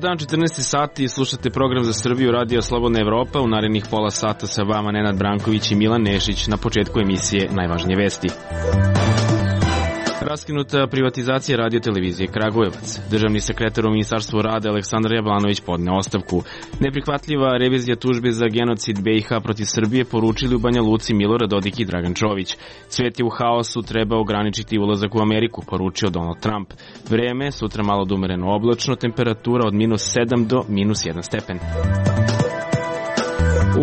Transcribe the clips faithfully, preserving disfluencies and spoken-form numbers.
dan, četrnaest sati, slušate program za Srbiju, Radio Slobodna Evropa. U narednih pola sata sa vama Nenad Branković i Milan Nešić. Na početku emisije najvažnije vesti. Raskinuta privatizacija radio televizije Kragujevac. Državni sekretar u Ministarstvu rada Aleksandar Jablanović podneo ostavku. Neprihvatljiva revizija tužbe za genocid B i H protiv Srbije poručili u Banja Luci Milorad Dodik i Dragan Čović. Svet je u haosu, treba ograničiti ulazak u Ameriku, poručio Donald Trump. Vreme, sutra malo dumereno oblačno, temperatura od minus sedam do minus jedan stepen.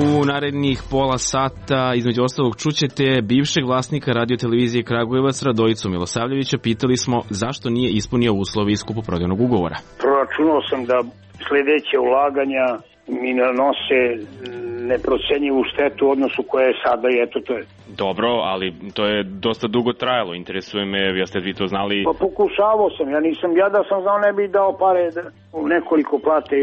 U narednih pola sata, između ostalog, čućete bivšeg vlasnika radiotelevizije Kragujevac Radojicu Milosavljevića. Pitali smo zašto nije ispunio uslove iz kupoprodajnog ugovora. Proračunao sam da sledeće ulaganja mi nanose neprocenjivu štetu u odnosu koja je sada i eto to je. Dobro, ali to je dosta dugo trajalo. Interesuje me, jeste vi to znali? Pa pokušavao sam, ja nisam, ja da sam znao ne bih dao pare da u nekoliko plate.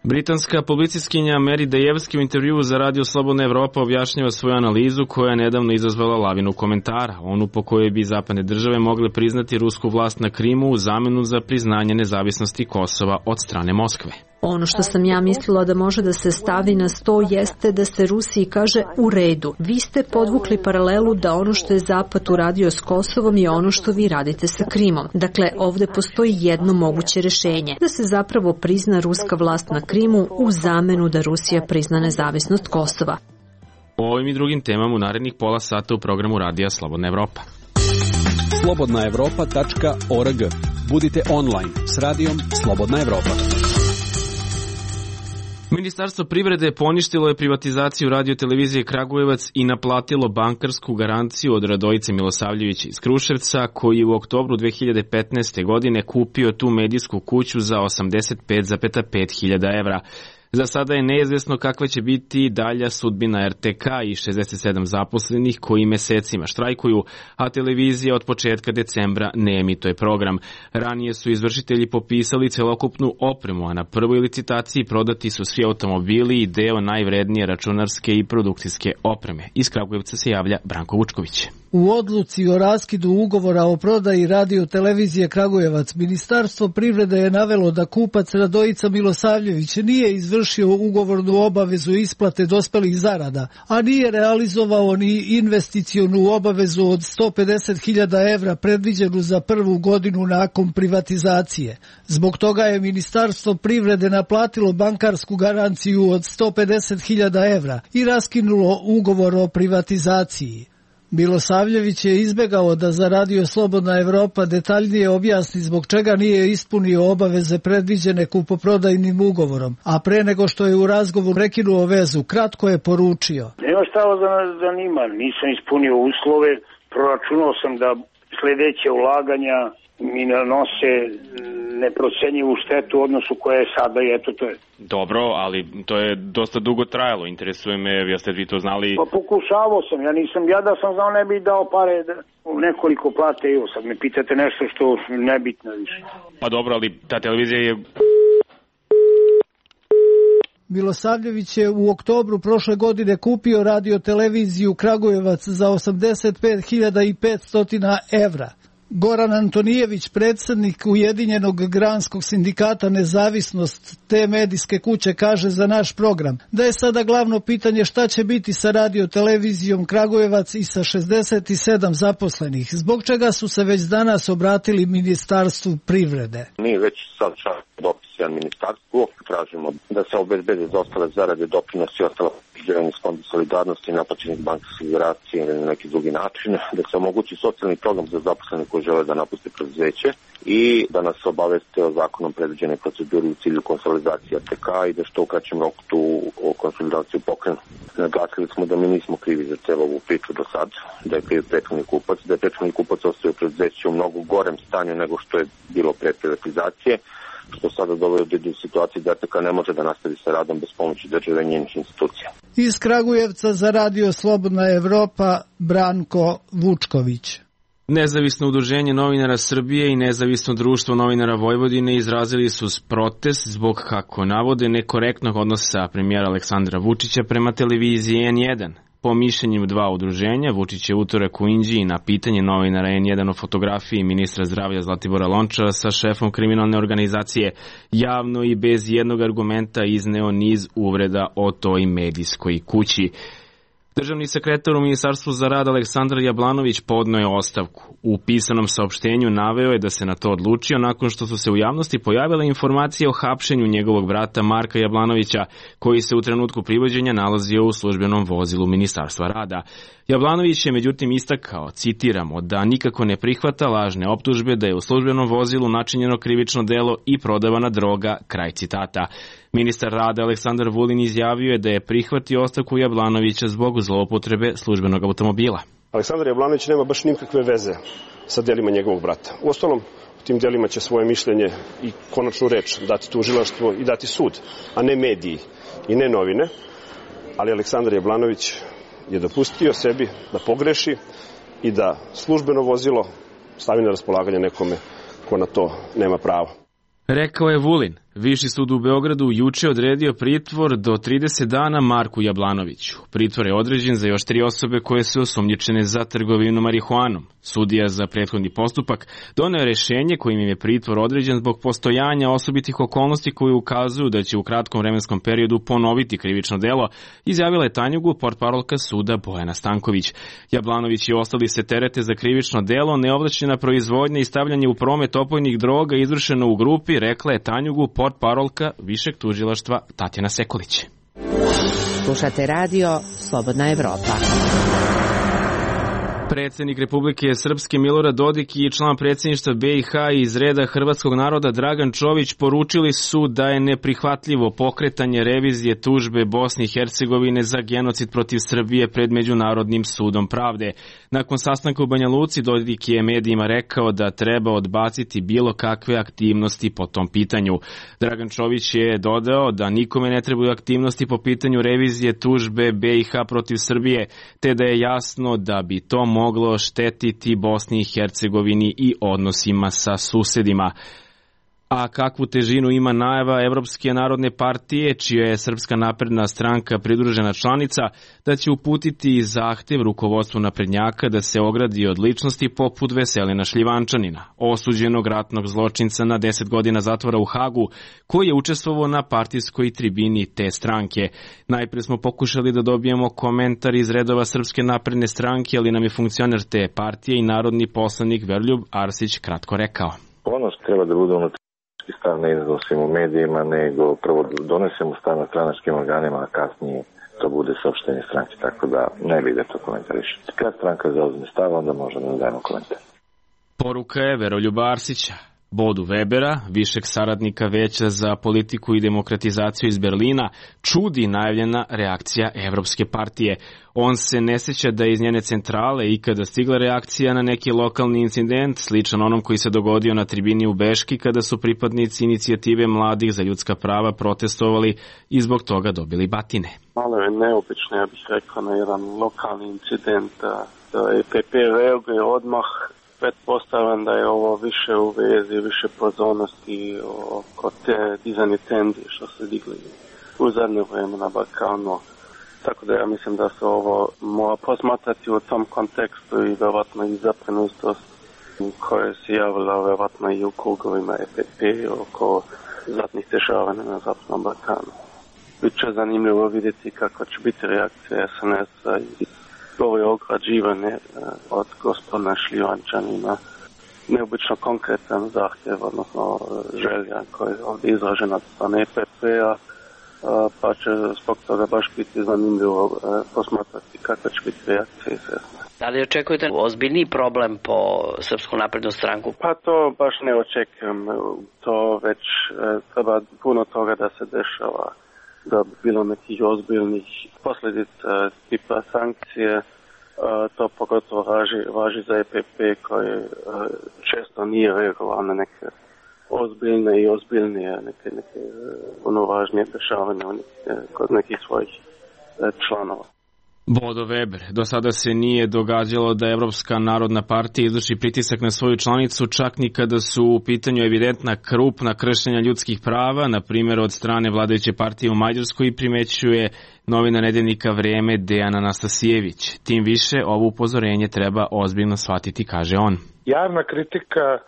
Britanska publicistkinja Mary Dejevski u intervjuu za Radio Slobodna Evropa objašnjava svoju analizu koja je nedavno izazvala lavinu komentara, onu po kojoj bi zapadne države mogle priznati rusku vlast na Krimu u zamenu za priznanje nezavisnosti Kosova od strane Moskve. Ono što sam ja mislila da može da se stavi na sto jeste da se Rusiji kaže u redu. Vi ste podvukli paralelu da ono što je Zapad uradio s Kosovom je ono što vi radite sa Krimom. Dakle, ovde postoji jedno moguće rešenje. Da se zapravo prizna ruska vlast na Krimu u zamenu da Rusija prizna nezavisnost Kosova. O ovim i drugim temama u narednih pola sata u programu Radija Slobodna Evropa. slobodna evropa tačka org. Budite online s radijom Slobodna Evropa. Ministarstvo privrede poništilo je privatizaciju radiotelevizije Kragujevac i naplatilo bankarsku garanciju od Radojice Milosavljevića iz Kruševca, koji je u oktobru dve hiljade petnaeste. godine kupio tu medijsku kuću za osamdeset pet zarez pet hiljada evra. Za sada je neizvesno kakva će biti dalja sudbina R T K i šezdeset sedam zaposlenih koji mesecima štrajkuju, a televizija od početka decembra ne emituje program. Ranije su izvršitelji popisali celokupnu opremu, a na prvoj licitaciji prodati su svi automobili i deo najvrednije računarske i produkcijske opreme. Iz Kragujevca se javlja Branko Vučković. U odluci o raskidu ugovora o prodaji radiotelevizije Kragujevac, Ministarstvo privrede je navelo da kupac Radojica Milosavljević nije izvršio ugovornu obavezu isplate dospelih zarada, a nije realizovao ni investicionu obavezu od sto pedeset hiljada evra predviđenu za prvu godinu nakon privatizacije. Zbog toga je Ministarstvo privrede naplatilo bankarsku garanciju od sto pedeset hiljada evra i raskinulo ugovor o privatizaciji. Milosavljević je izbegao da za Radio Slobodna Evropa detaljnije objasni zbog čega nije ispunio obaveze predviđene kupoprodajnim ugovorom, a pre nego što je u razgovoru prekinuo vezu, kratko je poručio. Nema šta ovo za nas zanima, nisam ispunio uslove, proračunao sam da sledeće ulaganja mi nanose neprocenjivu štetu u odnosu koja je sada i eto to je. Dobro, ali to je dosta dugo trajalo. Interesuje me, jeste vi to znali? Pa pokušavao sam, ja nisam, ja da sam znao ne bih dao pare da u nekoliko plate, evo sad me pitate nešto što nebitno više. Pa dobro, ali ta televizija je... Milosavljević je u oktobru prošle godine kupio radioteleviziju Kragujevac za osamdeset pet hiljada petsto evra. Goran Antonijević, predsjednik Ujedinjenog granskog sindikata Nezavisnost te medijske kuće, kaže za naš program da je sada glavno pitanje šta će biti sa radiotelevizijom Kragujevac i sa šezdeset sedam zaposlenih, zbog čega su se već danas obratili Ministarstvu privrede. Mi već sad šaljamo dopis ministarstvu, tražimo da se obezbede za ostale zarade, doprinosi i ostala priđevanja iz Fonda solidarnosti i naplaćenih bankarskih garancija ili na neki drugi način, da se omogući socijalni program za zaposlene koji žele da napuste preduzeće i da nas obaveste o zakonom predviđenoj proceduri u cilju konsolidacije R T K i da što u kraćem roku tu konsolidaciju pokrenu. Naglasili smo da mi nismo krivi za celu ovu priču do sad, da je kriv prethodni kupac, da je prethodni kupac ostavio preduzeće u mnogo gorem stanju nego što je bilo pre privatizacije, što sada dovodi do situacije da R T K ne može da nastavi sa radom bez pomoći države i njenih institucija. Iz Kragujevca za Radio Slobodna Evropa, Branko Vučković. Nezavisno udruženje novinara Srbije i Nezavisno društvo novinara Vojvodine izrazili su protest zbog, kako navode, nekorektnog odnosa premijera Aleksandra Vučića prema televiziji N jedan. Po mišljenju dva udruženja, Vučić je utorak u Inđiji na pitanje novinara en jedan o fotografiji ministra zdravlja Zlatibora Lončara sa šefom kriminalne organizacije javno i bez jednog argumenta izneo niz uvreda o toj medijskoj kući. Državni sekretar u Ministarstvu za rad Aleksandar Jablanović podneo je ostavku. U pisanom saopštenju naveo je da se na to odlučio nakon što su se u javnosti pojavile informacije o hapšenju njegovog brata Marka Jablanovića, koji se u trenutku privođenja nalazio u službenom vozilu Ministarstva rada. Jablanović je međutim istakao, citiramo, da nikako ne prihvata lažne optužbe da je u službenom vozilu načinjeno krivično delo i prodavana droga, kraj citata. Ministar rada Aleksandar Vulin izjavio je da je prihvatio ostavku Jablanovića zbog zloupotrebe službenog automobila. Aleksandar Jablanović nema baš nikakve veze sa delima njegovog brata. Uostalom, u tim delima će svoje mišljenje i konačnu reč dati tužilaštvo i dati sud, a ne mediji i ne novine. Ali Aleksandar Jablanović je dopustio sebi da pogreši i da službeno vozilo stavi na raspolaganje nekome ko na to nema pravo. Rekao je Vulin. Viši sud u Beogradu juče odredio pritvor do trideset dana Marku Jablanoviću. Pritvor je određen za još tri osobe koje su osumnjičene za trgovinu marihuanom. Sudija za prethodni postupak doneo je rešenje kojim im je pritvor određen zbog postojanja osobitih okolnosti koje ukazuju da će u kratkom vremenskom periodu ponoviti krivično delo, izjavila je Tanjugu portparolka suda Bojana Stanković. Jablanović i ostali se terete za krivično delo, neovlašćena proizvodnja i stavljanje u promet opojnih droga izvršeno u grupi, rekla je Tanjugu portparolka Višeg tužilaštva Tatjana Sekulić. Slušate radio Slobodna Evropa. Predsednik Republike Srpske Milorad Dodik i član predsjedništva be i ha iz reda hrvatskog naroda Dragan Čović poručili su da je neprihvatljivo pokretanje revizije tužbe Bosne i Hercegovine za genocid protiv Srbije pred Međunarodnim sudom pravde. Nakon sastanka u Banja Luci, Dodik je medijima rekao da treba odbaciti bilo kakve aktivnosti po tom pitanju. Dragan Čović je dodao da nikome ne trebaju aktivnosti po pitanju revizije tužbe be i ha protiv Srbije, te da je jasno da bi to moglo štetiti Bosni i Hercegovini i odnosima sa susedima. A kakvu težinu ima najava Evropske narodne partije, čija je Srpska napredna stranka pridružena članica, da će uputiti zahtev rukovodstvu naprednjaka da se ogradi od ličnosti poput Veselina Šljivančanina, osuđenog ratnog zločinca na deset godina zatvora u Hagu, koji je učestvovao na partijskoj tribini te stranke. Najpre smo pokušali da dobijemo komentar iz redova Srpske napredne stranke, ali nam je funkcioner te partije i narodni poslanik Veroljub Arsić kratko rekao. Ono što treba da bude unutra stav ne iznosimo u medijima, nego prvo donesemo stav na stranačkim organima, a kasnije to bude saopštenje stranke, tako da ne bi da to komentarišete. Kad stranka zauzme stav, onda možemo da dajemo komentar. Poruka je Veroljuba Arsića. Bodu Webera, višeg saradnika Veća za politiku i demokratizaciju iz Berlina, čudi najavljena reakcija Evropske partije. On se ne sjeća da je iz njene centrale ikada stigla reakcija na neki lokalni incident, sličan onom koji se dogodio na tribini u Beški kada su pripadnici inicijative mladih za ljudska prava protestovali i zbog toga dobili batine. Malo je neobično, ja bih rekao, na jedan lokalni incident da, da E P P reaguje odmah. Pretpostavljam da je ovo više u vezi, više pozornosti oko te dizanje tenzije što se digli u zadnje vrijeme na Balkanu. Tako da ja mislim da se ovo mora posmatrati u tom kontekstu i vjerovatno i zabrinutost koja se javila vjerovatno i u krugovima E P P oko zadnjih dešavanja na Zapadnom Balkanu. Biće zanimljivo vidjeti kakva će biti reakcija S N S-a i ovo je ograđivanje od gospodina Šljivančanina. Neobično konkretan zahtjev, odnosno želja koja je ovdje izražena od strane E P P-a, pa će zbog toga baš biti zanimljivo posmatrati kakva će biti reakcija S N S. Da li očekujete ozbiljniji problem po Srpsku naprednu stranku? Pa to baš ne očekujem. To već treba puno toga da se dešava, da bi bilo nekih ozbiljnih posljedica tipa sankcije. To pogotovo važi, važi za E P P koji često nije reagovao na neke ozbiljne i ozbiljnije, neke, neke ono važnije dešavanja kod nekih svojih članova. Bodo Weber. Do sada se nije događalo da Evropska narodna partija izvrši pritisak na svoju članicu, čak ni kada su u pitanju evidentna krupna kršenja ljudskih prava, na primjer od strane vladajuće partije u Mađarskoj, primećuje novinar nedeljnika Vreme Dejan Anastasijević. Tim više, ovo upozorenje treba ozbiljno shvatiti, kaže on. Javna kritika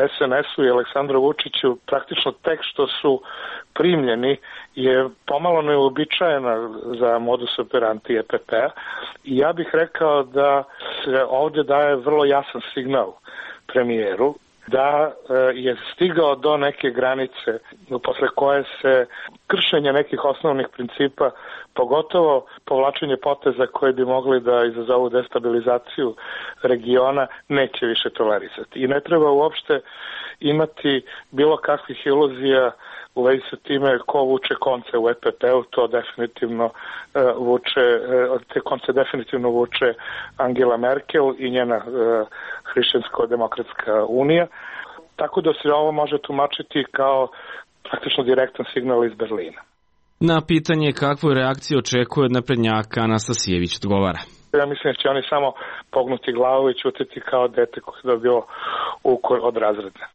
es en esu i Aleksandru Vučiću praktično tek što su primljeni je pomalo neuobičajena za modus operandi E P P-a i ja bih rekao da se ovdje daje vrlo jasan signal premijeru da je stigao do neke granice posle koje se kršenje nekih osnovnih principa, pogotovo povlačenje poteza koji bi mogli da izazovu destabilizaciju regiona, neće više tolerisati. I ne treba uopšte imati bilo kakvih iluzija u vezi sa time ko vuče konce u E P P-u, to definitivno uh, vuče, uh, te konce definitivno vuče Angela Merkel i njena uh, Hrišćansko-demokratska unija, tako da se ovo može tumačiti kao praktično direktan signal iz Berlina. Na pitanje kakvu reakciju očekuje od naprednjaka, Anastasijević odgovara. Ja mislim da će oni samo pognuti glavu i ćutiti kao dete koje je dobilo ukor od razreda.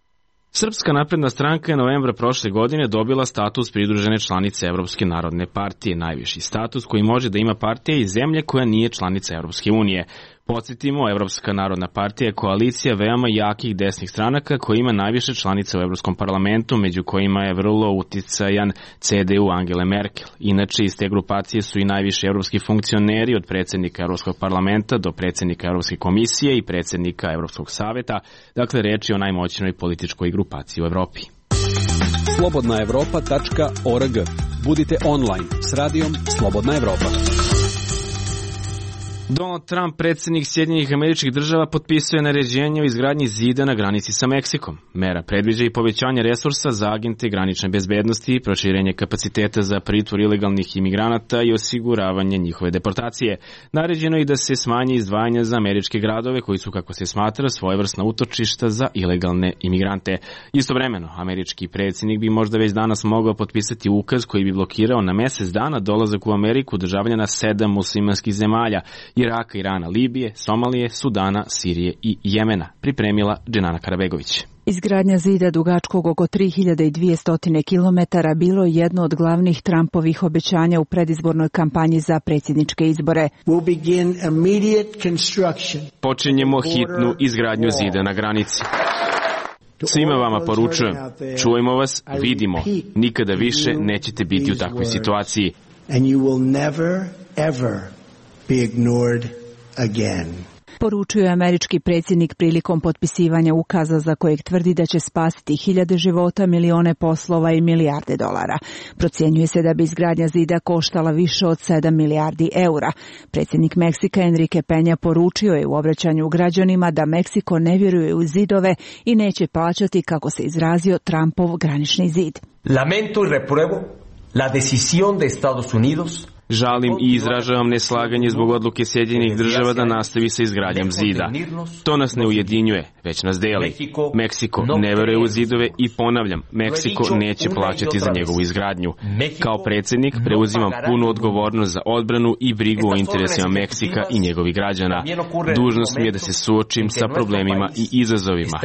Srpska napredna stranka je novembra prošle godine dobila status pridružene članice Evropske narodne partije, najviši status koji može da ima partija iz zemlje koja nije članica Evropske unije. Podsjetimo, Evropska narodna partija je koalicija veoma jakih desnih stranaka koja ima najviše članica u Evropskom parlamentu, među kojima je vrlo uticajan ce de u Angele Merkel. Inače, iz te grupacije su i najviši evropski funkcioneri, od predsjednika Evropskog parlamenta do predsjednika Evropske komisije i predsjednika Evropskog saveta. Dakle, reč je o najmoćnoj političkoj grupaciji u Evropi. slobodna evropa tačka org. Budite online s radijom Slobodna Evropa. Donald Trump, predsjednik Sjedinjenih Američkih Država, potpisuje naređenje o izgradnji zida na granici sa Meksikom. Mera predviđa i povećanje resursa za agente granične bezbednosti, proširenje kapaciteta za pritvor ilegalnih imigranata i osiguravanje njihove deportacije. Naređeno je i da se smanje izdvajanja za američke gradove koji su, kako se smatra, svojevrsna utočišta za ilegalne imigrante. Istovremeno, američki predsjednik bi možda već danas mogao potpisati ukaz koji bi blokirao na mjesec dana dolazak u Ameriku državljana sedam muslimanskih zemalja: Iraka, Irana, Libije, Somalije, Sudana, Sirije i Jemena, pripremila Dženana Karabegović. Izgradnja zida dugačkog oko tri hiljade dvjesto kilometara bilo je jedno od glavnih Trumpovih obećanja u predizbornoj kampanji za predsjedničke izbore. Počinjemo hitnu izgradnju zida na granici. Svima vama poručujem, čujemo vas, vidimo, nikada više nećete biti u takvoj situaciji. Be ignored again. Poručio je američki predsjednik prilikom potpisivanja ukaza za kojeg tvrdi da će spasiti hiljade života, milione poslova i milijarde dolara. Procjenjuje se da bi izgradnja zida koštala više od sedam milijardi eura. Predsjednik Meksika Enrique Peña poručio je u obraćanju građanima da Meksiko ne vjeruje u zidove i neće plaćati, kako se izrazio, Trumpov granični zid. Lamento y repruebo la decisión de Estados Unidos. Žalim i izražavam neslaganje zbog odluke Sjedinjenih Država da nastavi sa izgradnjom zida. To nas ne ujedinjuje, već nas deli. Meksiko ne veruje u zidove i ponavljam, Meksiko neće plaćati za njegovu izgradnju. Kao predsjednik preuzimam punu odgovornost za odbranu i brigu o interesima Meksika i njegovih građana. Dužnost mi je da se suočim sa problemima i izazovima.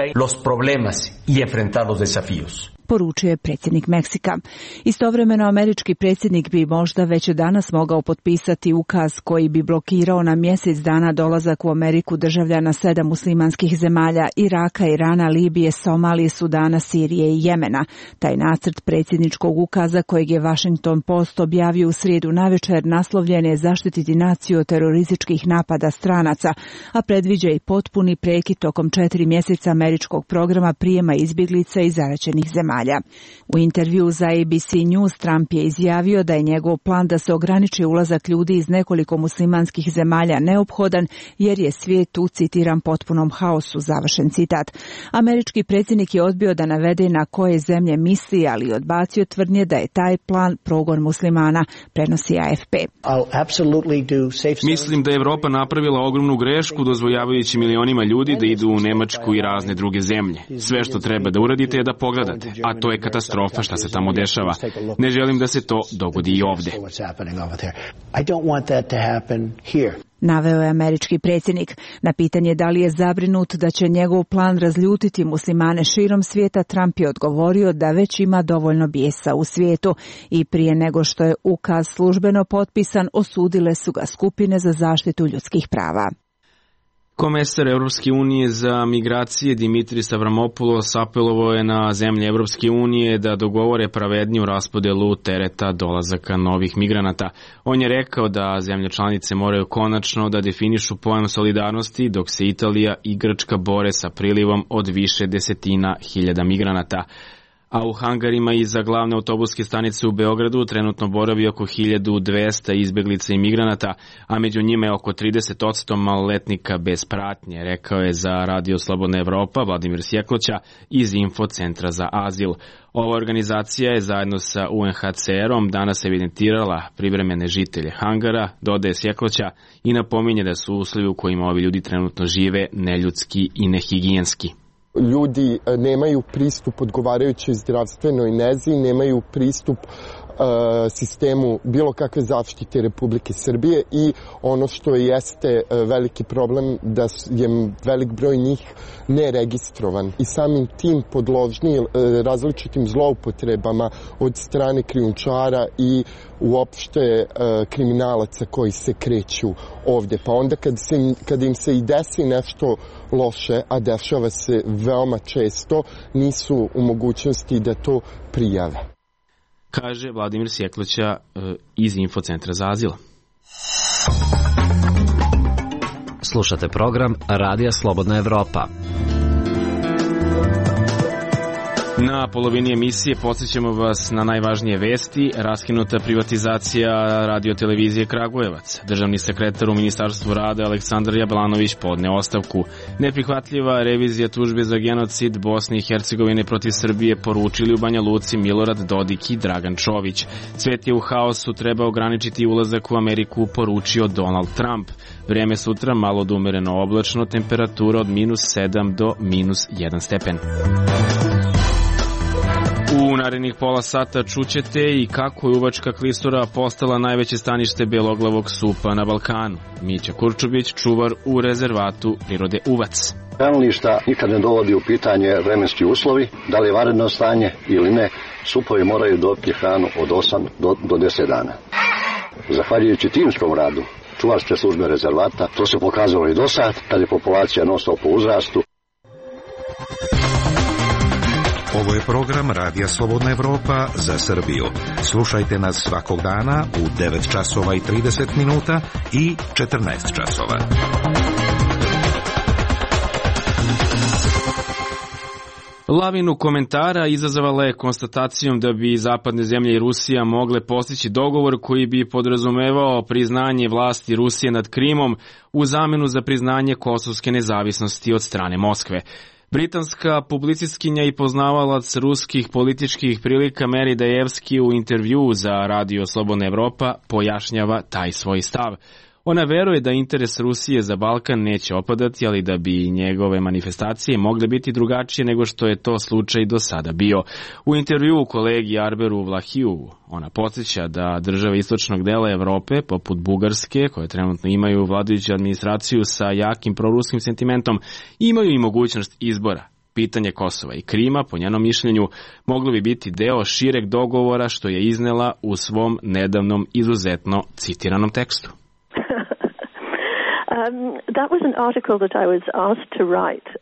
Poručio je predsjednik Meksika. Istovremeno, američki predsjednik bi možda već danas mogao potpisati ukaz koji bi blokirao na mjesec dana dolazak u Ameriku državljana sedam muslimanskih zemalja: Iraka, Irana, Libije, Somalije, Sudana, Sirije i Jemena. Taj nacrt predsjedničkog ukaza, kojeg je Washington Post objavio u srijedu navečer, naslovljen je zaštititi naciju od terorističkih napada stranaca, a predviđa i potpuni prekid tokom četiri mjeseca američkog programa prijema izbjeglica iz zaraćenih zemalja. U intervju za A B C News Trump je izjavio da je njegov plan da se ograniči ulazak ljudi iz nekoliko muslimanskih zemalja neophodan jer je svijet u, citiram, potpunom haosu, završen citat. Američki predsjednik je odbio da navede na koje zemlje misli, ali odbacio tvrdnje da je taj plan progon muslimana, prenosi A F P. Mislim da je Evropa napravila ogromnu grešku dozvoljavajući milionima ljudi da idu u Nemačku i razne druge zemlje. Sve što treba da uradite je da pogledate, a a to je katastrofa šta se tamo dešava. Ne želim da se to dogodi i ovde. Naveo je američki predsjednik. Na pitanje da li je zabrinut da će njegov plan razljutiti muslimane širom svijeta, Trump je odgovorio da već ima dovoljno bijesa u svijetu i prije nego što je ukaz službeno potpisan, osudile su ga skupine za zaštitu ljudskih prava. Komesar Europske unije za migracije Dimitris Avramopoulos apelovao je na zemlje Europske unije da dogovore pravedniju raspodelu tereta dolazaka novih migranata. On je rekao da zemlje članice moraju konačno da definišu pojam solidarnosti, dok se Italija i Grčka bore sa prilivom od više desetina hiljada migranata. A u hangarima iza glavne autobuske stanice u Beogradu trenutno boravi oko hiljadu dvesta izbeglica i migranata, a među njima je oko trideset posto maloletnika bez pratnje, rekao je za Radio Slobodna Evropa Vladimir Sjekloća iz Infocentra za azil. Ova organizacija je zajedno sa U N H C R-om danas evidentirala privremene žitelje hangara, dodaje Sjekloća, i napominje da su uslovi u kojima ovi ljudi trenutno žive neljudski i nehigijenski. Ljudi nemaju pristup odgovarajućoj zdravstvenoj nezi, nemaju pristup uh, sistemu bilo kakve zaštite Republike Srbije i ono što jeste uh, veliki problem da je velik broj njih neregistrovan i samim tim podložni uh, različitim zloupotrebama od strane krijumčara i uopšte uh, kriminalaca koji se kreću ovde. Pa onda kad, se, kad im se i desi nešto loše, a dešava se veoma često, nisu u mogućnosti da to prijave. Kaže Vladimir Sjekloća uh, iz Infocentra za azil. Slušate program Radija Slobodna Evropa. Na polovini emisije podsjećamo vas na najvažnije vesti. Raskinuta privatizacija radiotelevizije Kragujevac. Državni sekretar u Ministarstvu rada Aleksandar Jablanović podneo ostavku. Neprihvatljiva revizija tužbe za genocid Bosne i Hercegovine protiv Srbije, poručili u Banja Luci Milorad Dodik i Dragan Čović. Svet je u haosu, treba ograničiti ulazak u Ameriku, poručio Donald Trump. Vrijeme sutra malo do umereno oblačno, temperatura od minus sedam do minus jedan stepen. U narednih pola sata čućete i kako je uvačka klisura postala najveće stanište beloglavog supa na Balkanu. Mića Kurčubić, čuvar u rezervatu prirode Uvac. Hranilišta nikad ne dovodi u pitanje vremenski uslovi, da li je vanredno stanje ili ne, supovi moraju dobiti hranu od osam do deset dana. Zahvaljujući timskom radu čuvarske službe rezervata, to se pokazalo i do sad, kad je populacija non stop po uzrastu. Ovo je program Radija Slobodna Evropa za Srbiju. Slušajte nas svakog dana u devet časova i trideset minuta i četrnaest časova. Lavinu komentara izazvala je konstatacijom da bi zapadne zemlje i Rusija mogle postići dogovor koji bi podrazumevao priznanje vlasti Rusije nad Krimom u zamenu za priznanje kosovske nezavisnosti od strane Moskve. Britanska publicistkinja i poznavalac ruskih političkih prilika Meri Dajevski u intervju za Radio Slobodna Evropa pojašnjava taj svoj stav. Ona veruje da interes Rusije za Balkan neće opadati, ali da bi njegove manifestacije mogle biti drugačije nego što je to slučaj do sada bio. U intervjuu kolegi Arberu Vlahiju ona podsjeća da države istočnog dela Evrope, poput Bugarske, koje trenutno imaju vladajuću administraciju sa jakim proruskim sentimentom, imaju i mogućnost izbora. Pitanje Kosova i Krima, po njenom mišljenju, moglo bi biti deo šireg dogovora, što je iznela u svom nedavnom izuzetno citiranom tekstu.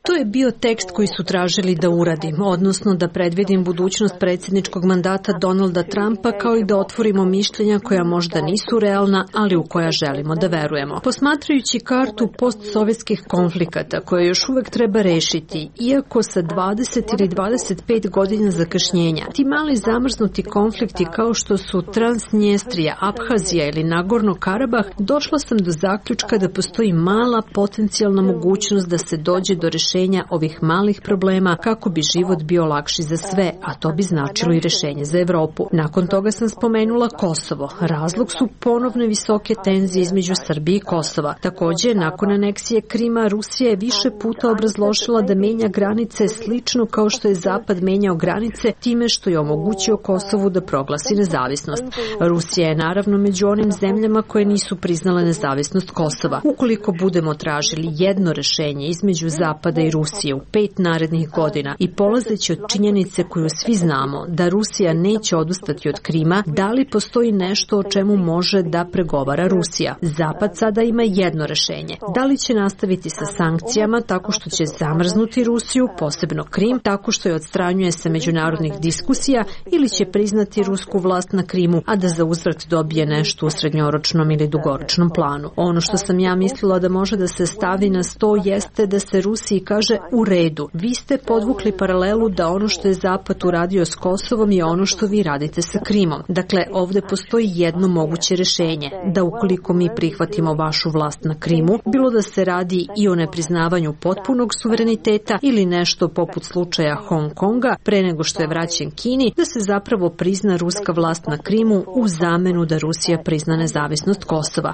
To je bio tekst koji su tražili da uradim, odnosno da predvidim budućnost predsjedničkog mandata Donalda Trumpa, kao i da otvorimo mišljenja koja možda nisu realna, ali u koja želimo da verujemo. Posmatrajući kartu postsovjetskih konflikata koje još uvek treba rešiti, iako sa dvadeset ili dvadeset pet godina zakašnjenja, ti mali zamrznuti konflikti kao što su Transnjestrija, Abhazija ili Nagorno Karabah, došla sam do zaključka da postoji mala potencijalna mogućnost da se dođe do rešenja rešenja ovih malih problema kako bi život bio lakši za sve, a to bi značilo i rešenje za Evropu. Nakon toga sam spomenula Kosovo. Razlog su ponovne visoke tenzije između Srbije i Kosova. Takođe, nakon aneksije Krima, Rusija je više puta obrazložila da menja granice slično kao što je Zapad menjao granice time što je omogućio Kosovu da proglasi nezavisnost. Rusija je naravno među onim zemljama koje nisu priznale nezavisnost Kosova. Ukoliko budemo tražili jedno rešenje između Zapada i Rusije u pet narednih godina i polazeći od činjenice koju svi znamo da Rusija neće odustati od Krima, da li postoji nešto o čemu može da pregovara Rusija? Zapad sada ima jedno rešenje. Da li će nastaviti sa sankcijama tako što će zamrznuti Rusiju, posebno Krim, tako što je odstranjuje sa međunarodnih diskusija, ili će priznati rusku vlast na Krimu, a da za uzvrat dobije nešto u srednjoročnom ili dugoročnom planu. Ono što sam ja mislila da može da se stavi na sto jeste da se Rusiji kaže u redu. Vi ste podvukli paralelu da ono što je Zapad uradio s Kosovom je ono što vi radite sa Krimom. Dakle, ovde postoji jedno moguće rešenje, da ukoliko mi prihvatimo vašu vlast na Krimu, bilo da se radi i o nepriznavanju potpunog suvereniteta ili nešto poput slučaja Hong Konga pre nego što je vraćen Kini, da se zapravo prizna ruska vlast na Krimu u zamenu da Rusija prizna nezavisnost Kosova.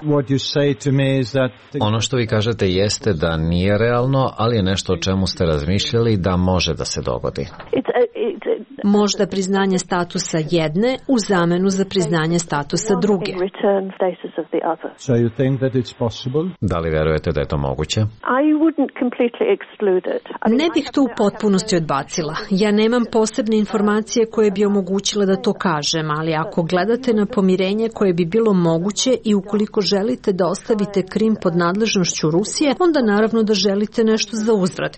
Ono što vi kažete jeste da nije realno, ali je nešto o čemu ste razmišljali da može da se dogodi. Možda priznanje statusa jedne u zamenu za priznanje statusa druge. Da li verujete da je to moguće? Ne bih to u potpunosti odbacila. Ja nemam posebne informacije koje bi omogućile da to kažem, ali ako gledate na pomirenje koje bi bilo moguće i ukoliko želite da ostavite Krim pod nadležnošću Rusije, onda naravno da želite nešto za uzvrat.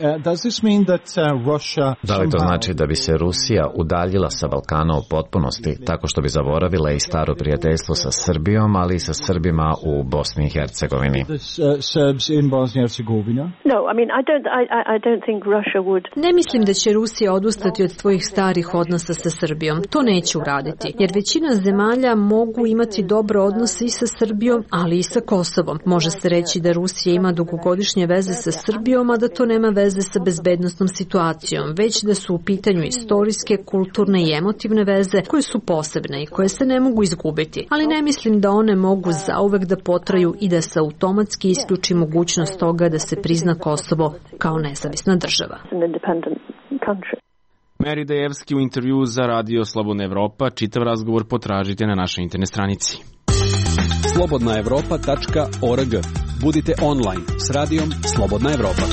Da li to znači da bi se Rusija udaljila sa Balkana u potpunosti, tako što bi zaboravila i staro prijateljstvo sa Srbijom, ali i sa Srbima u Bosni i Hercegovini? Ne mislim da će Rusija odustati od svojih starih odnosa sa Srbijom. To neće uraditi, jer većina zemalja mogu imati dobre odnose i sa Srbijom, ali i sa Kosovom. Može se reći da Rusija ima dugogodišnje veze sa Srbijom, a da to nema veze sa bezbednosnom situacijom, već da su u pitanju istorijske, kulturne i emotivne veze koje su posebne i koje se ne mogu izgubiti. Ali ne mislim da one mogu zauvek da potraju i da se automatski isključi mogućnost toga da se prizna Kosovo kao nezavisna država. Meri Dejevski u intervju za Radio Slobodna Evropa. Čitav razgovor potražite na našoj internet stranici. slobodna evropa tačka org. Budite online s radijom Slobodna Evropa.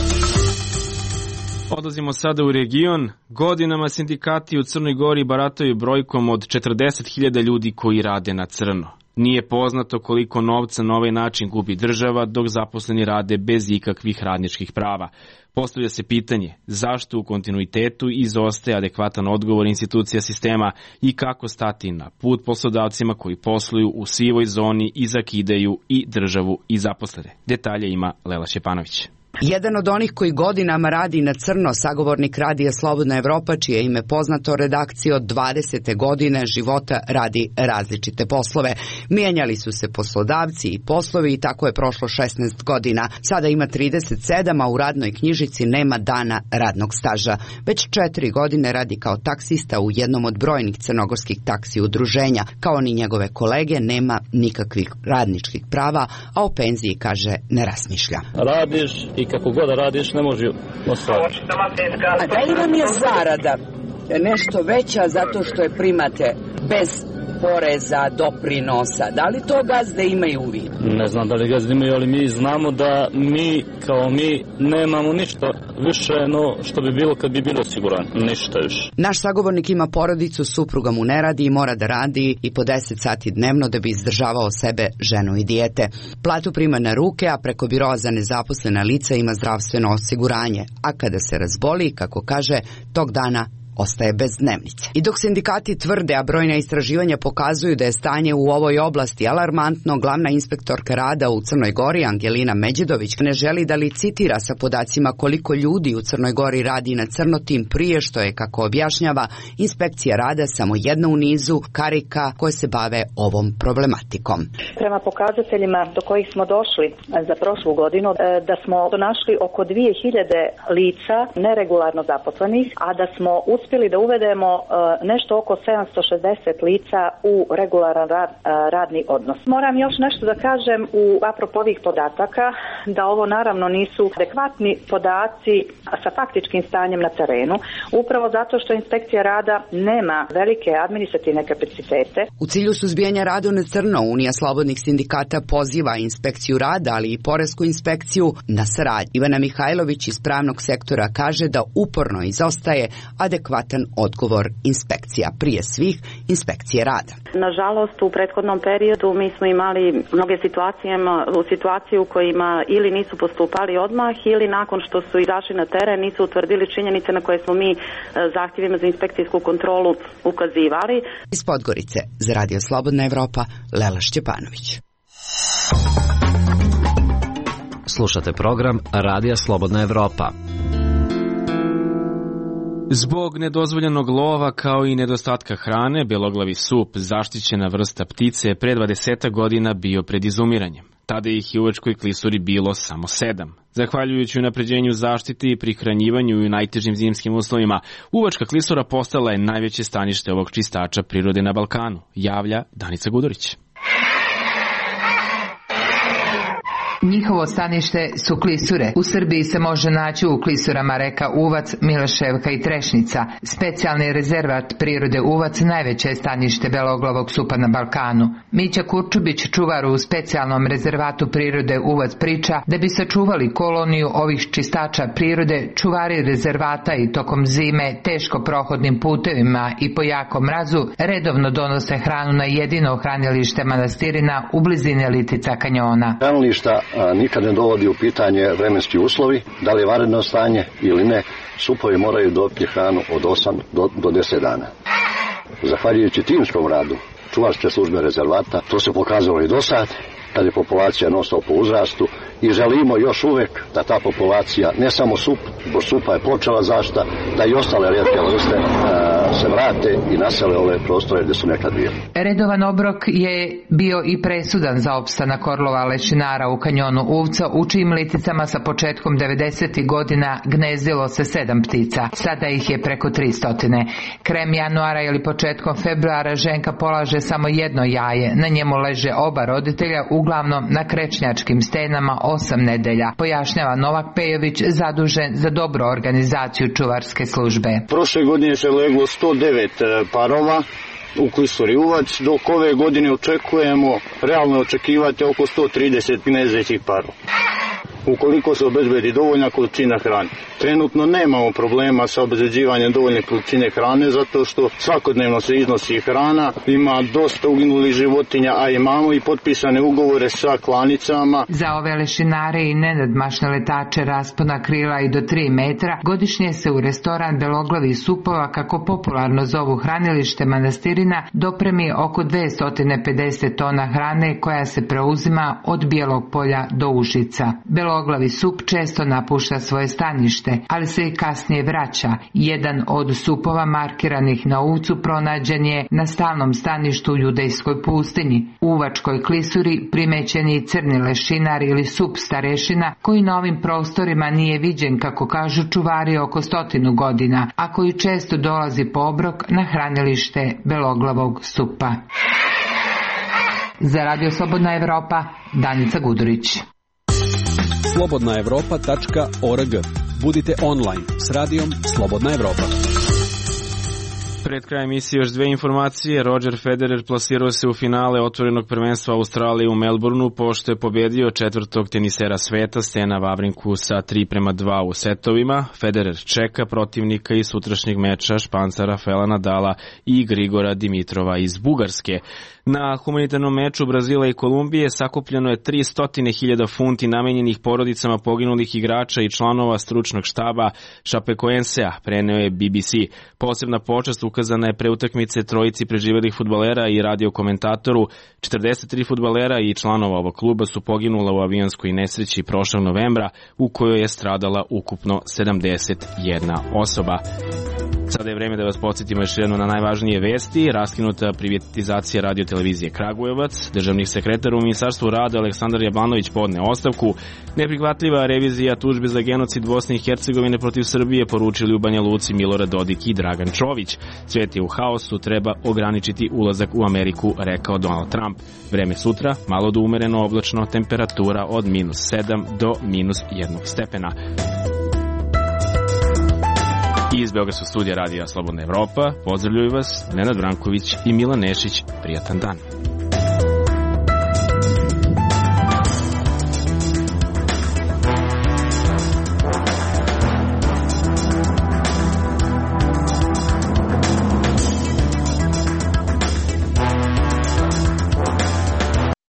Odlazimo sada u region. Godinama sindikati u Crnoj Gori barataju brojkom od četrdeset hiljada ljudi koji rade na crno. Nije poznato koliko novca na ovaj način gubi država, dok zaposleni rade bez ikakvih radničkih prava. Postavlja se pitanje zašto u kontinuitetu izostaje adekvatan odgovor institucija sistema i kako stati na put poslodavcima koji posluju u sivoj zoni i zakidaju i državu i zaposlene. Detalje ima Lela Šćepanović. Jedan od onih koji godinama radi na crno, sagovornik Radija Slobodna Evropa, čije ime poznato redakciji od dvadesete godine života radi različite poslove. Mijenjali su se poslodavci i poslovi i tako je prošlo šesnaest godina. Sada ima trideset sedam, a u radnoj knjižici nema dana radnog staža. Već četiri godine radi kao taksista u jednom od brojnih crnogorskih taksi udruženja. Kao ni njegove kolege, nema nikakvih radničkih prava, a o penziji, kaže, ne razmišlja. Radiš i kako god da radiš ne može ostvariti. A da li vam je zarada nešto veća zato što je primate bez poreza, doprinosa? Da li to gazde imaju u vidu? Ne znam da li gazde imaju, ali mi znamo da mi kao mi nemamo ništa više no što bi bilo kad bi bilo osiguran. Ništa više. Naš sagovornik ima porodicu, supruga mu ne radi i mora da radi i po deset sati dnevno da bi izdržavao sebe, ženu i dijete. Platu prima na ruke, a preko biroa za nezaposlena lica ima zdravstveno osiguranje. A kada se razboli, kako kaže, tog dana ostaje bez dnevnice. I dok sindikati tvrde, a brojna istraživanja pokazuju da je stanje u ovoj oblasti alarmantno, glavna inspektorka rada u Crnoj Gori, Angelina Međedović, ne želi da licitira sa podacima koliko ljudi u Crnoj Gori radi na crno, tim prije što je, kako objašnjava, inspekcija rada samo jedna u nizu karika koje se bave ovom problematikom. Prema pokazateljima do kojih smo došli za prošlu godinu, da smo našli oko dvije hiljade lica neregularno zaposlenih, a da smo uspjeli da uvedemo nešto oko sedamsto šezdeset lica u regularan rad, radni odnos. Moram još nešto da kažem u apropo ovih podataka, da ovo naravno nisu adekvatni podaci sa faktičkim stanjem na terenu, upravo zato što inspekcija rada nema velike administrativne kapacitete. U cilju suzbijanja rada na crno, Unija slobodnih sindikata poziva inspekciju rada, ali i poresku inspekciju na saradnju. Ivana Mihajlović iz pravnog sektora kaže da uporno izostaje adekvatan odgovor inspekcija, prije svih inspekcije rada. Nažalost, u prethodnom periodu mi smo imali mnoge situacije, u situaciji u kojima ili nisu postupali odmah ili nakon što su izašli na teren nisu utvrdili činjenice na koje smo mi zahtjevima za inspekcijsku kontrolu ukazivali. Iz Podgorice za Radio Slobodna Evropa, Lela Šćepanović. Slušate program Radija Slobodna Evropa. Zbog nedozvoljenog lova kao i nedostatka hrane, beloglavi sup, zaštićena vrsta ptice, pre dvadeset godina bio pred izumiranjem. Tada ih je u Uvačkoj klisuri bilo samo sedam. Zahvaljujući unapređenju zaštiti i prihranjivanju i u najtežim zimskim uslovima, Uvačka klisura postala je najveće stanište ovog čistača prirode na Balkanu, javlja Danica Gudurić. Njihovo stanište su klisure. U Srbiji se može naći u klisurama reka Uvac, Miloševka i Trešnica. Specijalni rezervat prirode Uvac najveće je stanište beloglavog supa na Balkanu. Mića Kurčubić, čuvar u specijalnom rezervatu prirode Uvac, priča da bi sačuvali koloniju ovih čistača prirode, čuvari rezervata i tokom zime teško prohodnim putevima i po jakom mrazu redovno donose hranu na jedino hranilište manastirina u blizini Litica kanjona. Hranilišta nikad ne dovodi u pitanje vremenski uslovi, da li je vanredno stanje ili ne, supovi moraju dobiti hranu od osam do deset dana. Zahvaljujući timskom radu čuvarske službe rezervata, to se pokazalo i do sad, kad je populacija non-stop po uzrastu, i želimo još uvek da ta populacija, ne samo sup, bo supa je počela zašta, da i ostale rijetke vrste se vrate i nasele ove prostore gdje su nekad bili. Redovan obrok je bio i presudan za opstanak orlova lešinara u kanjonu Uvca, u čijim liticama sa početkom devedesetih godina gnezdilo se sedam ptica. Sada ih je preko tristotine. Krem januara ili početkom februara ženka polaže samo jedno jaje. Na njemu leže oba roditelja, uglavnom na krečnjačkim stenama osam nedelja, pojašnjava Novak Pejović, zadužen za dobru organizaciju čuvarske službe. Prošle godine se leglo sto devet parova u klisuri Uvac, dok ove godine očekujemo, realno očekivati oko sto trideset gnezdećih parova, ukoliko se obezbedi dovoljna količina hrane. Trenutno nemamo problema sa obezbeđivanjem dovoljne količine hrane, zato što svakodnevno se iznosi hrana, ima dosta uginulih životinja, a imamo i potpisane ugovore sa klanicama. Za ove lešinare i nenadmašne letače raspona krila i do tri metra, godišnje se u restoran Beloglavi supova, kako popularno zovu hranilište manastirina, dopremi oko dvesta pedeset tona hrane koja se preuzima od Bijelog polja do Užica. Beloglavi sup često napušta svoje stanište, ali se i kasnije vraća. Jedan od supova markiranih na Uvcu pronađen je na stalnom staništu u Judejskoj pustinji. U Uvačkoj klisuri primećen je crni lešinar ili sup starešina, koji na ovim prostorima nije viđen, kako kažu čuvari, oko stotinu godina, a koji često dolazi po obrok na hranilište beloglavog supa. Za Radio Slobodna Evropa, Danica Gudurić. slobodna evropa tačka org. Budite online s radijom Slobodna Evropa. Pred krajem emisije još dve informacije. Roger Federer plasirao se u finale otvorenog prvenstva Australije u Melbourneu pošto je pobedio četvrtog tenisera sveta Stena Wawrinku sa tri prema dva u setovima. Federer čeka protivnika iz sutrašnjeg meča Španca Rafaela Nadala i Grigora Dimitrova iz Bugarske. Na humanitarnom meču Brazila i Kolumbije sakupljeno je tristo hiljada funti namenjenih porodicama poginulih igrača i članova stručnog štaba Chapecoensea, preneo je B B C. Posebna počast ukazana je pre utakmice trojici preživelih fudbalera i radio komentatoru. četrdeset tri fudbalera i članova ovog kluba su poginula u avionskoj nesreći prošlog novembra u kojoj je stradala ukupno sedamdeset jedna osoba. Sada je vreme da vas podsjetimo još jedno na najvažnije vesti. Raskinuta privatizacija radiotelevizije Kragujevac, državni sekretar u Ministarstvu rada Aleksandar Jablanović podne ostavku, neprihvatljiva revizija tužbe za genocid Bosne i Hercegovine protiv Srbije poručili u Banja Luci Milorad Dodik i Dragan Čović. Svet je u haosu, treba ograničiti ulazak u Ameriku, rekao Donald Trump. Vreme sutra, malo do umereno oblačno, temperatura od minus sedam do minus jednog stepena. Iz Beogradskog studija radija Slobodna Evropa pozdravljuju vas Nenad Branković i Milan Nešić. Prijatan dan.